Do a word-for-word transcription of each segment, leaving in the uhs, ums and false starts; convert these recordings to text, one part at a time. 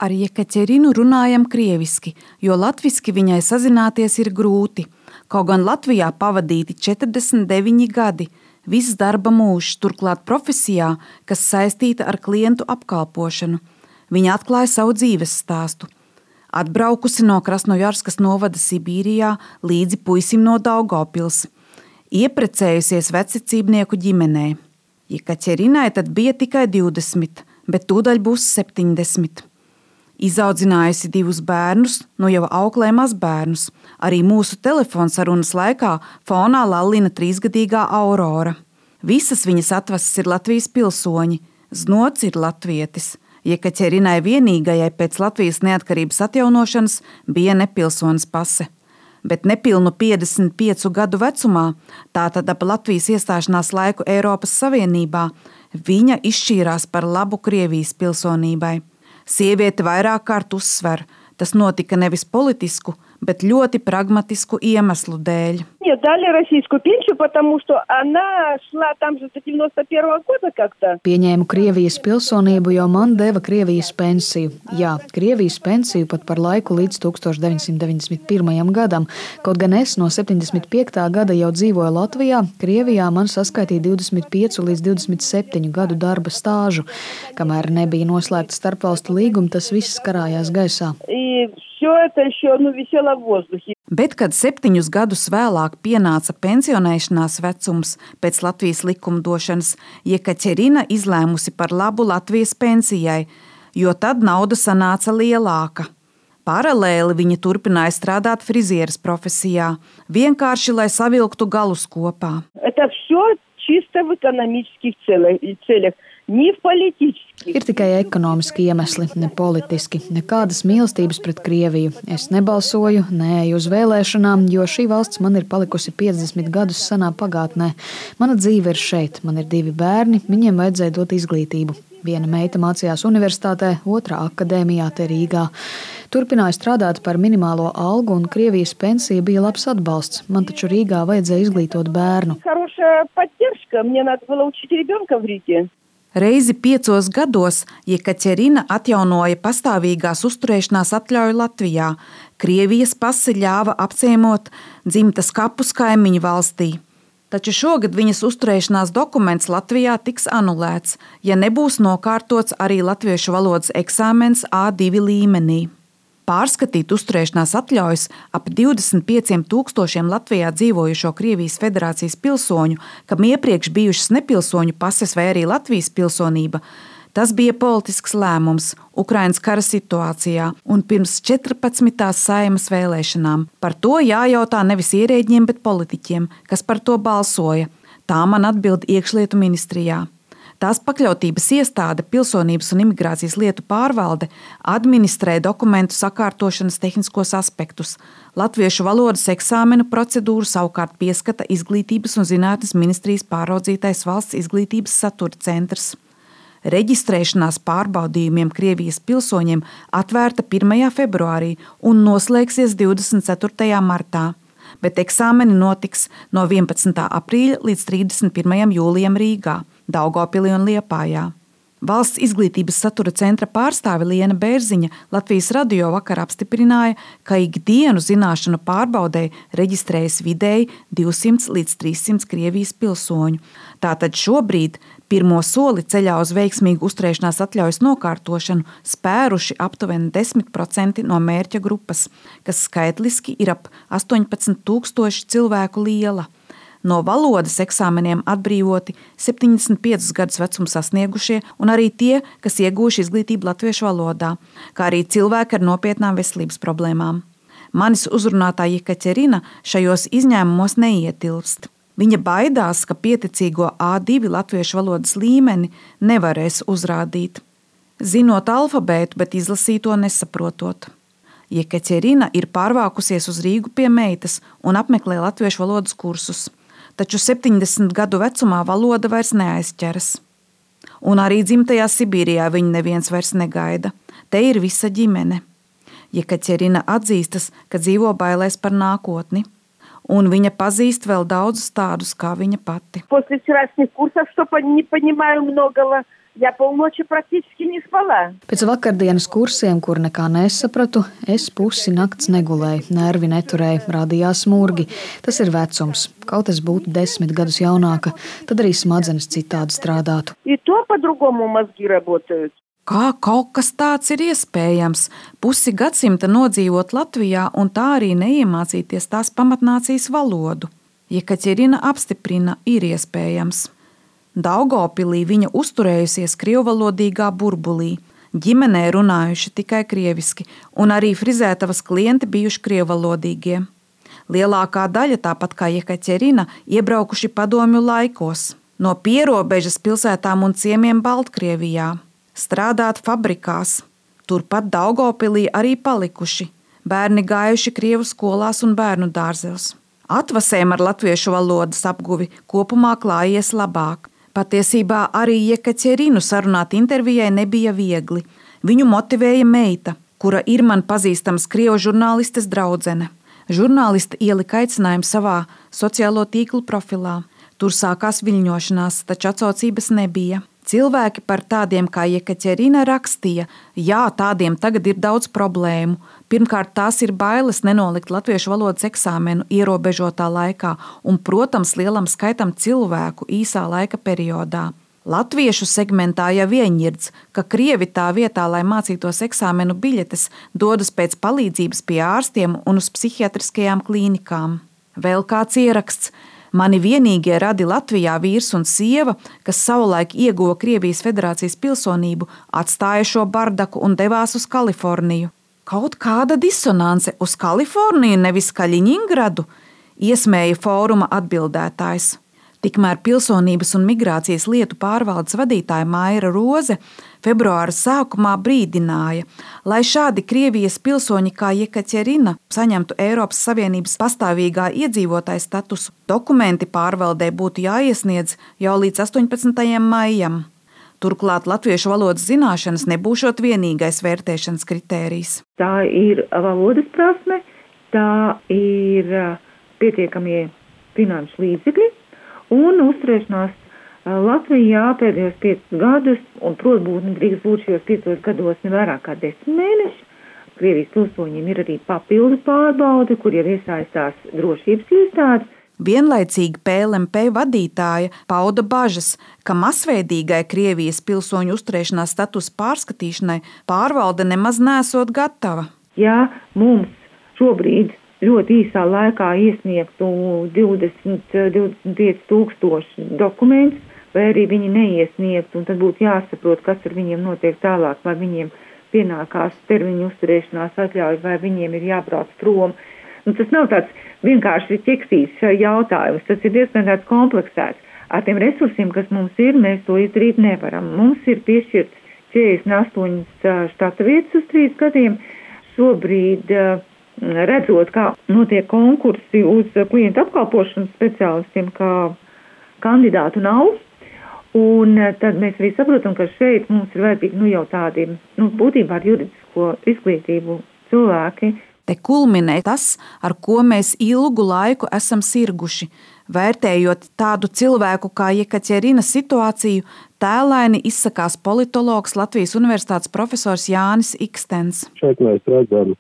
Ar Jekaterinu runājam krieviski, jo latviski viņai sazināties ir grūti. Kaut gan Latvijā pavadīti četrdesmit deviņi gadi, viss darba mūžs, turklāt profesijā, kas saistīta ar klientu apkalpošanu. Viņa atklāja savu dzīves stāstu. Atbraukusi no Krasnojarskas novada Sibīrijā līdzi puisim no Daugavpils. Ieprecējusies vecicībnieku ģimenē. Jekaterinai tad bija tikai divdesmit, bet tūdaļ būs septiņdesmit. Izaudzinājusi divus bērnus, nu jau auklē mazbērnus. Arī mūsu telefonsarunas laikā fonā lallina trīsgadīgā Aurora. Visas viņas atvases ir Latvijas pilsoņi, Znots ir latvietis. Jekaterinai vienīgajai pēc Latvijas neatkarības atjaunošanas bija nepilsonas pase. Bet nepilnu piecdesmit piecu gadu vecumā, tātad ap Latvijas iestāšanās laiku Eiropas Savienībā, viņa izšķīrās par labu Krievijas pilsonībai. Sieviete vairāk kārt uzsver, tas notika nevis politisku, bet ļoti pragmatisku iemeslu dēļ. Нет, дали российскую пенсию, потому что она шла там же до девяносто первого года как-то. Pieņēmu Krievijas pilsonību, jo man deva Krievijas pensiju. Jā, Krievijas pensiju pat par laiku līdz tūkstoš deviņsimt deviņdesmit pirmajam gadam. Kaut gan es no septiņdesmit piektā gada jau dzīvoju Latvijā, Krievijā man saskaitīja divdesmit piecu līdz divdesmit septiņu gadu darba stāžu. Kamēr nebija noslēgta starpvalstu līguma, tas viss karājās gaisā. И все это еще, ну, висело в воздухе. Bet, kad septiņus gadus vēlāk pienāca pensionēšanās vecums pēc Latvijas likumdošanas, Jekaterina izlēmusi par labu Latvijas pensijai, jo tad nauda sanāca lielāka. Paralēli viņa turpināja strādāt frizieres profesijā, vienkārši, lai savilktu galus kopā. Это все чисто в экономических целях, не в политических. Ir tikai ekonomiski iemesli, ne politiski, nekādas mīlestības pret Krieviju. Es nebalsoju, neeju uz vēlēšanām, jo šī valsts man ir palikusi piecdesmit gadus senā pagātnē. Mana dzīve ir šeit, man ir divi bērni, viņiem vajadzēja dot izglītību. Viena meita mācījās universitātē, otra akadēmijā te Rīgā. Turpināju strādāt par minimālo algu, un Krievijas pensija bija labs atbalsts. Man taču Rīgā vajadzēja izglītot bērnu. Хорошая поддержка, мне надо было учить ребенка в Риге. Reizi piecos gados Jekaterina atjaunoja pastāvīgās uzturēšanās atļauju Latvijā. Krievijas pasi ļāva apciemot dzimtas kapus kaimiņu valstī. Taču šogad viņas uzturēšanās dokuments Latvijā tiks anulēts, ja nebūs nokārtots arī latviešu valodas eksāmens A divi līmenī. Pārskatīt uzturēšanās atļaujas ap divdesmit pieciem tūkstošiem Latvijā dzīvojušo Krievijas federācijas pilsoņu, kam iepriekš bijušas nepilsoņu pases vai arī Latvijas pilsonība, tas bija politisks lēmums Ukrainas kara situācijā un pirms četrpadsmitās Saeimas vēlēšanām. Par to jājautā nevis ierēģiem, bet politiķiem, kas par to balsoja. Tā man atbild iekšlietu ministrijā. Tās pakļautības iestāde, pilsonības un imigrācijas lietu pārvalde, administrē dokumentu sakārtošanas tehniskos aspektus. Latviešu valodas eksāmenu procedūru savukārt pieskata Izglītības un zinātnes ministrijas pāraudzītais Valsts izglītības satura centrs. Reģistrēšanās pārbaudījumiem Krievijas pilsoņiem atvērta pirmajā februārī un noslēgsies divdesmit ceturtajā martā, bet eksāmeni notiks no vienpadsmitā aprīļa līdz trīsdesmit pirmajam jūlijam Rīgā, Daugavpilī un Liepājā. Valsts izglītības satura centra pārstāve Liena Bērziņa Latvijas radio vakar apstiprināja, ka ikdienu zināšanu pārbaudē reģistrējas vidēji divsimt līdz trīssimt Krievijas pilsoņu. Tātad šobrīd pirmo soli ceļā uz veiksmīgu uzturēšanās atļaujas nokārtošanu spēruši aptuveni desmit procenti no mērķa grupas, kas skaitliski ir ap astoņpadsmit tūkstoši cilvēku liela. No valodas eksāmeniem atbrīvoti septiņdesmit piecus gadus vecumu sasniegušie un arī tie, kas iegūši izglītību latviešu valodā, kā arī cilvēki ar nopietnām veselības problēmām. Manis uzrunātā Jekaterina šajos izņēmumos neietilpst. Viņa baidās, ka pieticīgo A divi latviešu valodas līmeni nevarēs uzrādīt. Zinot alfabētu, bet izlasīt to nesaprotot. Jekaterina ir pārvākusies uz Rīgu pie meitas un apmeklē latviešu valodas kursus. Taču septiņdesmit gadu vecumā valoda vairs neaizķeras. Un arī dzimtajā Sibīrijā viņu neviens vairs negaida. Te ir visa ģimene. Jekaterina atzīstas, ka dzīvo bailēs par nākotni. Un viņa pazīst vēl daudzus tādus kā viņa pati. После вчерашних курсов, что не понимаю многого, Я полночи практически не спала. Pēc vakardienas kursiem, kur nekā nesapratu, es pusi nakts negulēju, nervi neturēju, radījās murgi. Tas ir vecums. Kaut es būtu desmit gadus jaunāka, tad arī smadzenes citādi strādātu. И то по-другому мозги работают. Kā kaut kas tāds ir iespējams? Pusi gadsimta nodzīvot Latvijā un tā arī neiemācīties tās pamatnācijas valodu. Jekaterina apstiprina, ir iespējams. Daugavpilī viņa uzturējusies krievvalodīgā burbulī, ģimenē runājuši tikai krieviski, un arī frizētavas klienti bijuši krievvalodīgie. Lielākā daļa, tāpat kā Jekaterina, iebraukuši padomju laikos, no pierobežas pilsētām un ciemiem Baltkrievijā, strādāt fabrikās. Turpat Daugavpilī arī palikuši, bērni gājuši krievu skolās un bērnu dārzos. Atvasēm ar latviešu valodas apguvi kopumā klājies labāk. Patiesībā arī Jekaterinu sarunāt intervijai nebija viegli. Viņu motivēja meita, kura ir man pazīstams krievu žurnālistes draudzene. Žurnāliste ielika aicinājumu savā sociālo tīklu profilā. Tur sākās viļņošanās, taču atsaucības nebija. Cilvēki par tādiem kā Jekaterina rakstīja, jā, tādiem tagad ir daudz problēmu. Pirmkārt, tās ir bailes nenolikt latviešu valodas eksāmenu ierobežotā laikā un, protams, lielam skaitam cilvēku īsā laika periodā. Latviešu segmentā jau ieņirds, ka krievi tā vietā, lai mācītos eksāmenu biļetes, dodas pēc palīdzības pie ārstiem un uz psihiatriskajām klīnikām. Vēl kāds ieraksts. Mani vienīgie radi Latvijā vīrs un sieva, kas savulaik ieguva Krievijas federācijas pilsonību, atstāja šo bardaku un devās uz Kaliforniju. Kaut kāda disonance uz Kaliforniju, nevis Kaļiņingradu, iesmēja fóruma atbildētājs. Tikmēr pilsonības un migrācijas lietu pārvaldes vadītāja Maira Roze februāra sākumā brīdināja, lai šādi Krievijas pilsoņi kā Jekaterina saņemtu Eiropas Savienības pastāvīgā iedzīvotāja statusu, dokumenti pārvaldē būtu jāiesniedz jau līdz astoņpadsmitajam maijam. Turklāt latviešu valodas zināšanas nebūšot vienīgais vērtēšanas kritērijs. Tā ir valodas prasme, tā ir pietiekamie finanšu līdzekļi, un uzturēšanās Latvijā pēdējos piecus gadus, un, protams, būtu drīkst būt šajos piecos gados ne vairāk kā desmit mēneši. Krievijas pilsoņiem ir arī papildu pārbaude, kur jau iesaistās drošības iestādes. Vienlaicīgi P L M P vadītāja pauda bažas, ka masveidīgai Krievijas pilsoņu uzturēšanās statusa pārskatīšanai pārvalde nemaz nesot gatava. Ja mums šobrīd ļoti īsā laikā iesniegtu divdesmit, divdesmit pieci tūkstoši dokumentus, vai arī viņi neiesniegtu, un tad būtu jāsaprot, kas ar viņiem notiek tālāk, vai viņiem pienākās termiņu uzturēšanās atļauja, vai viņiem ir jābrauc prom. Un tas nav tāds vienkārši ķeksīts jautājums, tas ir diezgan tāds kompleksēts. Ar tiem resursiem, kas mums ir, mēs to izdarīt nevaram. Mums ir piešķirts četrdesmit astoņas štata vietas uz trīs gadiem. Šobrīd redzot, kā notiek konkursi uz klientu apkalpošanas speciālistiem, kā kandidātu nav. Un tad mēs arī saprotam, ka šeit mums ir vajadzīgi nu, jau tādi, nu, būtībā ar juridisko izglītību cilvēki. Te kulminē tas, ar ko mēs ilgu laiku esam sirguši. Vērtējot tādu cilvēku kā Jekaterina situāciju, tēlaini izsakās politologs Latvijas Universitātes profesors Jānis Ikstens. Šeit mēs redzam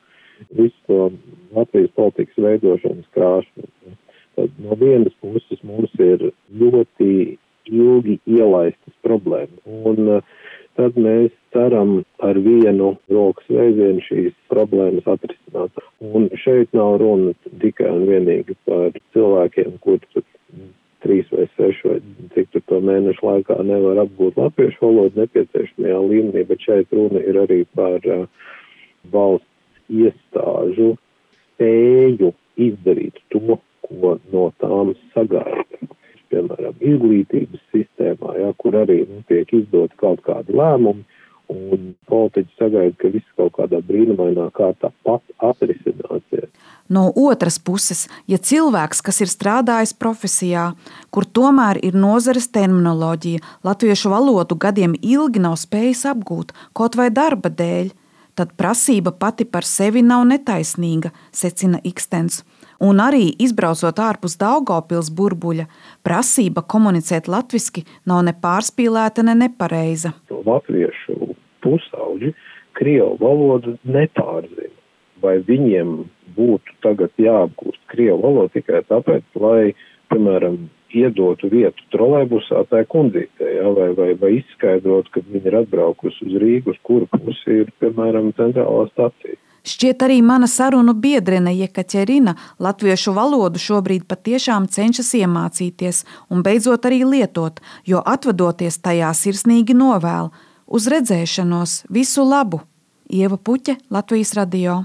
visu to Latvijas politikas veidošanas krāšņu. Tad no vienas puses mums ir ļoti ilgi ielaistas problēmas. Un tad mēs ceram ar vienu rokas vēzienu šīs problēmas atrisināt. Un šeit nav runa tikai un vienīgi par cilvēkiem, kuri trīs vai seši vai cik tur to mēnešu laikā nevar apgūt latviešu valodu nepieciešamajā līmenī, bet šeit runa ir arī par uh, valsts iestāžu spēju izdarīt to, ko no tām sagaida. Piemēram, izglītības sistēmā, ja, kur arī nu, tiek izdot kaut kādi lēmumi, un politiķi sagaida, ka viss kaut kādā brīnumainā kārtā pat atrisināsies. No otras puses, ja cilvēks, kas ir strādājis profesijā, kur tomēr ir nozares terminoloģija, latviešu valodu gadiem ilgi nav spējis apgūt, kaut vai darba dēļ, tad prasība pati par sevi nav netaisnīga, secina Ikstens. Un arī izbraucot ārpus Daugavpils burbuļa, prasība komunicēt latviski nav ne pārspīlēta, ne nepareiza. Latviešu pusauģi krievu valodu nepārzina. Vai viņiem būtu tagad jāapgūst krievu valodu tikai tāpēc, lai, piemēram, iedotu vietu trolejbusā tai kundzītei, ja? vai, vai, vai izskaidrot, kad viņi ir atbraukusi uz Rīgu, uz kuru pusi ir, piemēram, centrālā stacija. Šķiet arī mana sarunu biedrene Jekaterina latviešu valodu šobrīd patiešām cenšas iemācīties un beidzot arī lietot, jo atvadoties tajā sirsnīgi novēl. Uz redzēšanos, visu labu! Ieva Puķe, Latvijas radio.